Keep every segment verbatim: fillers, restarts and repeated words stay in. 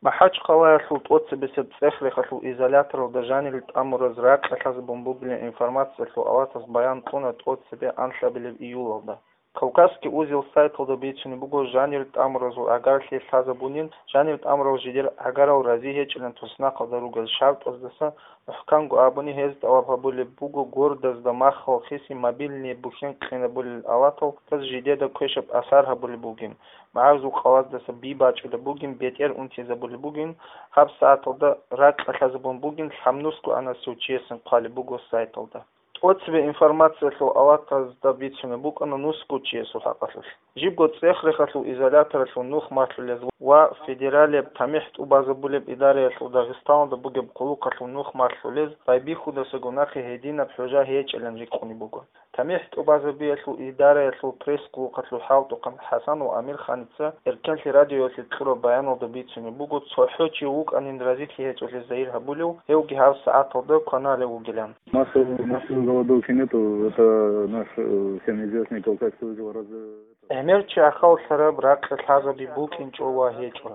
МахӀачхъалаялъул тӀоцебесеб цӀех-рехалъул изоляторалда жанирил тӀамураз ракьалъазабун бугилан информациялъул аватаз баян кьуна тӀоцебе анлъабилеб июлалда. Кавказский узел сайталда бицунеб буго, жанир тӀамуразул гӀагарлъи лъазабунин, жанир тӀамурал жидер гӀагарал рази гьечӀилан туснахъалда ругел шартӀаздаса, мухӀканго абуни, гьез тӀалаб гьабулеб буго гордазда маххал хиси мобильный бухьен къинабулел алатал, гьез жидеда квешаб асар гьабулеб бугин, магӀарзул къалаздаса би бачӀулеб бугин, бетӀер унтизабулеб бугин, гьаб сагӀаталда ракьалъазабун бугин, лъабнусго анасев чиясин хъвалеб буго сайталда. ТӀоцебе информациялъул аватазда бицунеб букӀана нусго чиясул хӀакъалъулъ. Жибго цӀех-рехалъул изоляторалъул нух малъулез ва федералияб тамихӀ тӀубазабулеб идараялъул Дагъистаналда бугеб хъулухъалъул нух малъулез байбихьудасаго нахъе гьединаб хӀужа гьечӀилан рикӀкӀунеб буго. ТамихӀ тӀубазабиялъул идараялъул пресс-хъулухъалъул хӀалтӀухъан ХӀасан ва Амирханица Эркенлъи радиоялъе кьураб баяналда бицунеб буго, цохӀо чи вукӀанин разилъи гьечӀолъи загьир гьабулев, гьевги гьаб сагӀаталда кваналев вугилан. Массовой, массовой голодовки нету, это наш, э, всем известный Кавказский узел раз-, э, это. ГӀемер чи ахаллъараб, ракьалъазаби букӀинчӀо ва гьечӀо.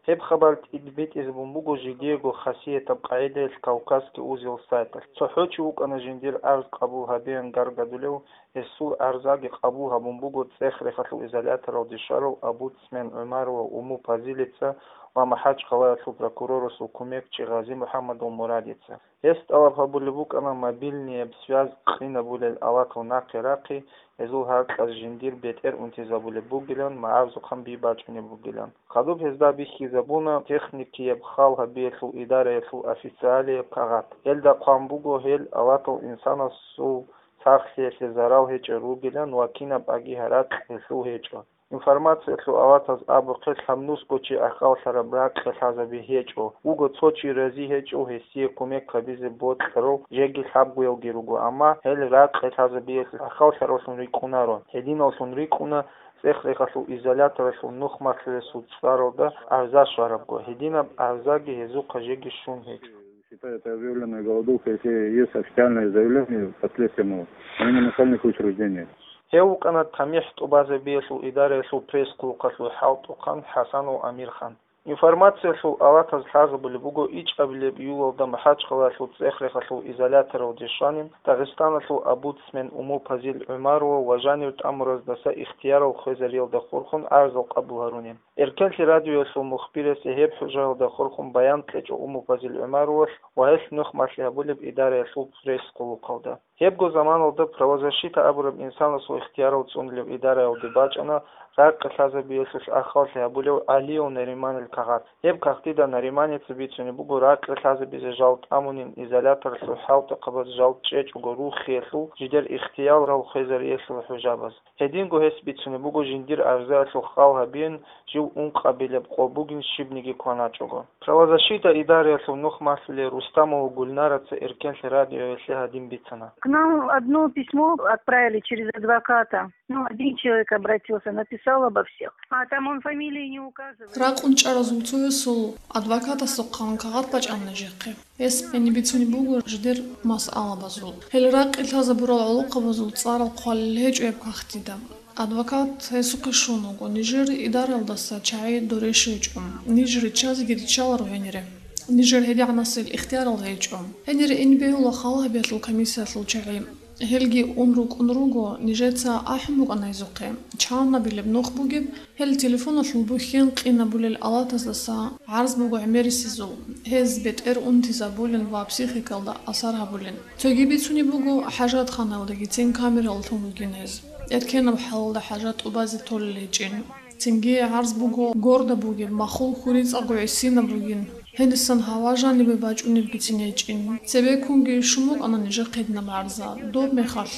Гьеб хабар тӀибитӀизабун буго жидеего хасиятаб къагӀидаялъ Кавказский узел сайталъ. ЦохӀо чи вукӀана жиндир арз къабул гьабеян гаргадулев, гьесул арзаги къабул гьабун буго цӀех-рехалъул изоляторалде щварав омбудсмен ГӀумарова Уму Пазилица ва МахӀачхъалаялъул прокурорасул кумекчи Гъази-МухӀаммадов Мурадица. Гьес тӀалаб гьабулеб букӀана мобильнияб связь къинабулел алатал нахъе рахъи, гьезул гьаркьаз жиндир бетӀер унтизабулеб бугилан, магӀарзухъан би бачӀунеб бугилан. Хадуб гьезда бихьизабуна техникияб хал гьабиялъул идараялъул официалияб кагъат. Гьелда хъван буго гьел алатал инсанасул сахлъиялъе зарал гьечӀел ругилан ва кинаб аги гьаракь гьелъул гьечӀо. Информациялъул аватаз абухъе, лъабнусго чи ахаллъараб, ракьалъазаби гьечӀо, вуго цо чи рази гьечӀев гьесие кумек гьабизе бокьарав, жеги лъабгоялги руго, амма гьел ракьалъазабиялъ ахаллъаравлъун рикӀкӀунаро, гьединаллъун рикӀкӀуна цӀех-рехалъул изоляторалъул нух малъулесул цӀаралда арза щварабго, гьединаб арзаги гьезухъа жеги щун гьечӀо. Считаю это объявленной голодовкой, если есть официальное заявление последствия, ну, именно начальных учреждений. Гьев вукӀана тамихӀ тӀубазабиялъул идараялъул пресс-хъулухъалъул хӀалтӀухъан ХӀасанов Амирхан. Информациялъул аватаз лъазабулеб буго, ичӀабилеб июлалда МахӀачхъалаялъул цӀех-рехалъул изоляторалде щванин Дагъистаналъул омбудсмен Уму Пазил ГӀумарова ва жанир тӀамураздаса ихтиярал хвезариялда хурхун арзал къабул гьарунин. Эркенлъи радиоялъул мухбирасе гьеб хӀужаялда хурхун баян кьечӀо Уму Пазил ГӀумаровалъ ва гьелъ нух малъи гьабулеб идараялъул пресс-хъулухъалда. Гьебго заманалда правозащита абураб инсанасул ихтиярал цӀунулеб идараялде бачӀана ракьалъазабиялъулъ ахаллъи гьабулев ГӀалиев Нариманил кагъат. Гьеб кагътида Нариманица бицунеб буго ракьалъазабизе жал тӀамунин изоляторалъул хӀалтӀухъабаз жал чӀечӀого рухиялъул жидер ихтиярал хвезариялъул хӀужабаз. Гьединго гьес бицунеб буго жиндир арзаялъул хал гьабиин, жив ункъабилеб къо бугин щибниги кваначӀого. Правозащита идараялъул нух малъулей Рустамова Гульнараца Эркенлъи радиоялъе гьадин бицана. К нам одно письмо отправили через адвоката. Ну, один человек обратился, написал обо всех. А там он фамилии не указывает. Ракъун чӀаразул цоясул адвокатасухъан кагъат бачӀана нижехъе. Гьес гьениб бицунеб буго жидер масъалабазул. Гьел ракъи лъазабурал гӀолохъабазул цӀарал хъвалел гьечӀо гьеб кагътида. Адвокат гьесухъе щун вуго, нижер идараялдаса чагӀи дурищ гьечӀо, ниж риччазеги риччаларо гьенире. Нижер гьедигӀанасел ихтиярал гьечӀо. Гьенире ин бегьула хал гьабиялъул комиссиялъул чагӀи. Гьелги ун рукӀун руго, нижеца ахӀун букӀана гьезухъе, чанабилеб нух бугеб, гьел телефоналъул бухьен къинабулел алатаздаса гӀарз буго гӀемерисезул, гьез бетӀер унтизабулин ва психикалда асар гьабулин. Цоги бицунеб буго, хӀажатханаялдагицин камералъун ругин гьез. Эркенаб хӀалалда хӀажат тӀубазе толел гьечӀин. Цинги гӀарз буго горда бугеб, махул хьурицӀаго гӀисинаб бугин. Гьенисан гьава жанибе бачӀунебгицин гьечӀин. Цебеккунги щун букӀана нижехъе гьединаб гӀарза. Доб мехалъ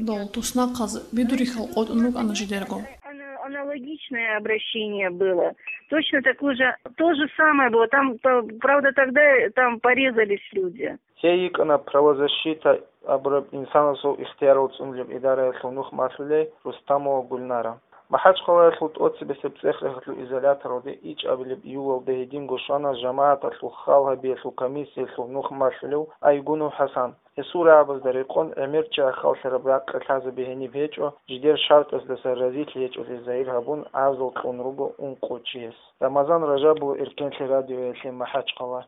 дол туснахъаз бидурихьал къотӀун рукӀана жидерго. Ана-, аналогичное обращение было. Точно такое же, то же самое было. Там, п-, правда, тогда там порезались люди. Гьей йикӀана правозащита абураб инсанасул ихтиярал цӀунулеб идараялъул нух малъулей Рустамова Гульнара. МахӀачхъалаялъул тӀоцебесеб цӀех-рехалъул изоляторалде ичӀабилеб июлалда гьединго щвана жамагӀаталъул хал гьабиялъул комиссиялъул нух малъулев Айгунов ХӀасан. Гьесул рагӀабазда рекъон, гӀемер чи ахаллъараб ракъи лъазабе гьениб гьечӀо, жидер шартӀасдаса разилъи гьечӀолъи загьир гьабун, гӀазал кьун руго ункъо чияс. Рамазан Ражабов, Эркенлъи радиоялъе, МахӀачхъала.